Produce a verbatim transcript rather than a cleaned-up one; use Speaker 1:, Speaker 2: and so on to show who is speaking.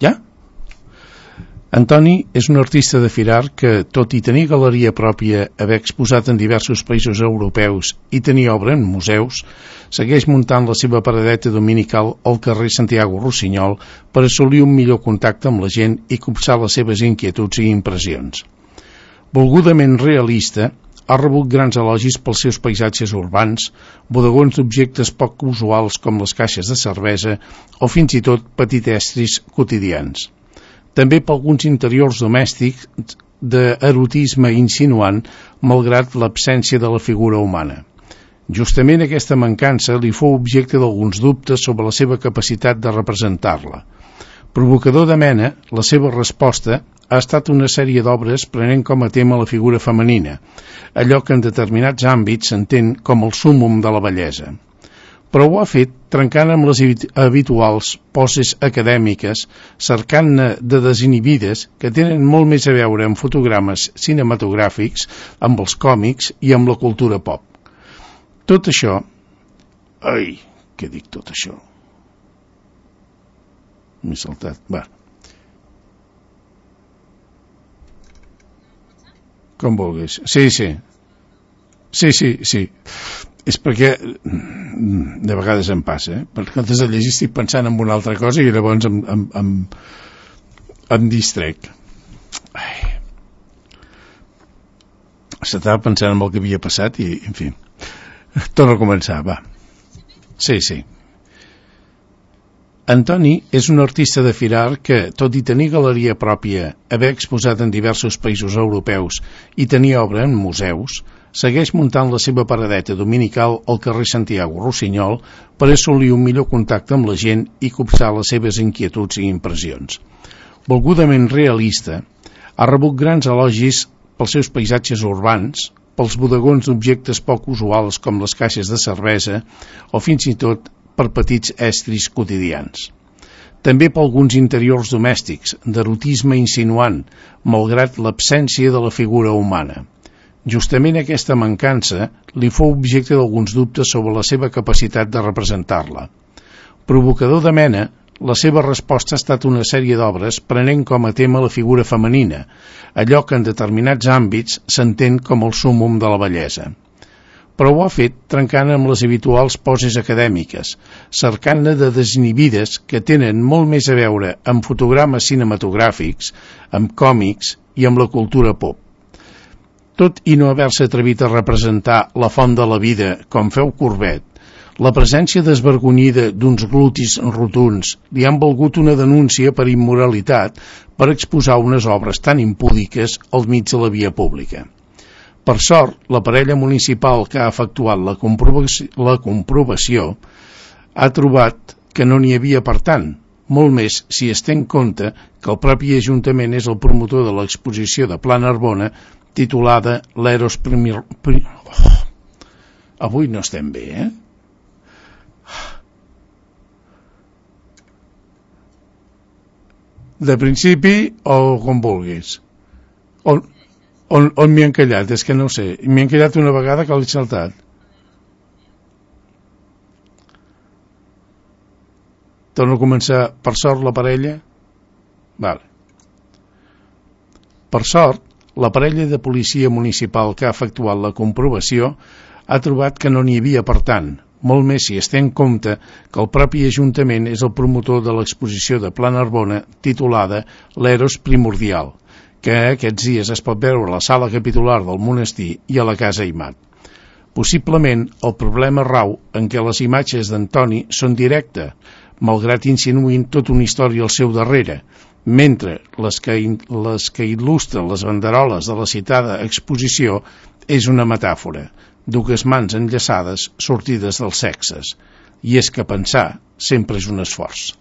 Speaker 1: Ja? Antoni és un artista de Firar que, tot i tenir galeria pròpia, haver exposat en diversos països europeus i tenir obra en museus, segueix muntant la seva paradeta dominical al carrer Santiago Rossinyol per assolir un millor contacte amb la gent i copsar les seves inquietuds i impressions. Volgudament realista, ha rebut grans elogis pels seus paisatges urbans, bodegons d'objectes poc usuals com les caixes de cervesa o fins i tot petitestris quotidians. També per alguns interiors domèstics d'erotisme insinuant, malgrat l'absència de la figura humana. Justament aquesta mancança li fou objecte d'alguns dubtes sobre la seva capacitat de representar-la. Provocador de mena, la seva resposta ha estat una sèrie d'obres prenent com a tema la figura femenina, allò que en determinats àmbits s'entén com el súmmum de la bellesa. Però ho ha fet trencant amb les habituals poses acadèmiques, cercant-ne de desinhibides que tenen molt més a veure amb fotogrames cinematogràfics, amb els còmics i amb la cultura pop. Tot això... Ai, què dic tot això? M'he saltat, va. Com vulguis. Sí, sí. Sí, sí, sí. És perquè de vegades em passa, eh? Perquè antes de llegir estic pensant en una altra cosa i llavors em, em, em, em distrec. Ai. S'estava pensant en el que havia passat i, en fi, torno a començar, va. Sí, sí. Antoni és un artista de Firar que, tot i tenir galeria pròpia, haver exposat en diversos països europeus i tenir obra en museus, segueix muntant la seva paradeta dominical al carrer Santiago Rossinyol per assolir un millor contacte amb la gent i copsar les seves inquietuds i impressions. Volgudament realista, ha rebut grans elogis pels seus paisatges urbans, pels bodegons d'objectes poc usuals com les caixes de cervesa o fins i tot per petits estris quotidians. També per alguns interiors domèstics, d'erotisme insinuant, malgrat l'absència de la figura humana. Justament aquesta mancança li fou objecte d'alguns dubtes sobre la seva capacitat de representar-la. Provocador de mena, la seva resposta ha estat una sèrie d'obres prenent com a tema la figura femenina, allò que en determinats àmbits s'entén com el súmmum de la bellesa. Però ho ha fet trencant amb les habituals poses acadèmiques, cercant-ne de desinhibides que tenen molt més a veure amb fotogrames cinematogràfics, amb còmics i amb la cultura pop. Tot i no haver-se atrevit a representar la font de la vida com feu Courbet, la presència desvergonyida d'uns glutis rotunds li han valgut una denúncia per immoralitat per exposar unes obres tan impúdiques al mig de la via pública. Per sort, la parella municipal que ha efectuat la comprovació, la comprovació ha trobat que no n'hi havia per tant, molt més si es té en compte que el propi Ajuntament és el promotor de l'exposició de Pla Narbona titulada l'Eros Primir... Oh, avui no estem bé, eh? De principi o com vulguis. On, on, on m'hi han callat? És que no ho sé. M'hi han callat una vegada que l'he saltat. Torno a començar. Per sort la parella? Vale. Per sort, la parella de policia municipal que ha efectuat la comprovació ha trobat que no n'hi havia per tant, molt més si es té en compte que el propi Ajuntament és el promotor de l'exposició de Pla Narbona titulada l'Eros Primordial, que aquests dies es pot veure a la sala capitular del monestir i a la Casa Aimat. Possiblement el problema rau en què les imatges d'Antoni són directes, malgrat insinuïn tota una història al seu darrere, mentre les que, les que il·lustren les banderoles de la citada exposició és una metàfora, dues mans enllaçades sortides dels sexes, i és que pensar sempre és un esforç.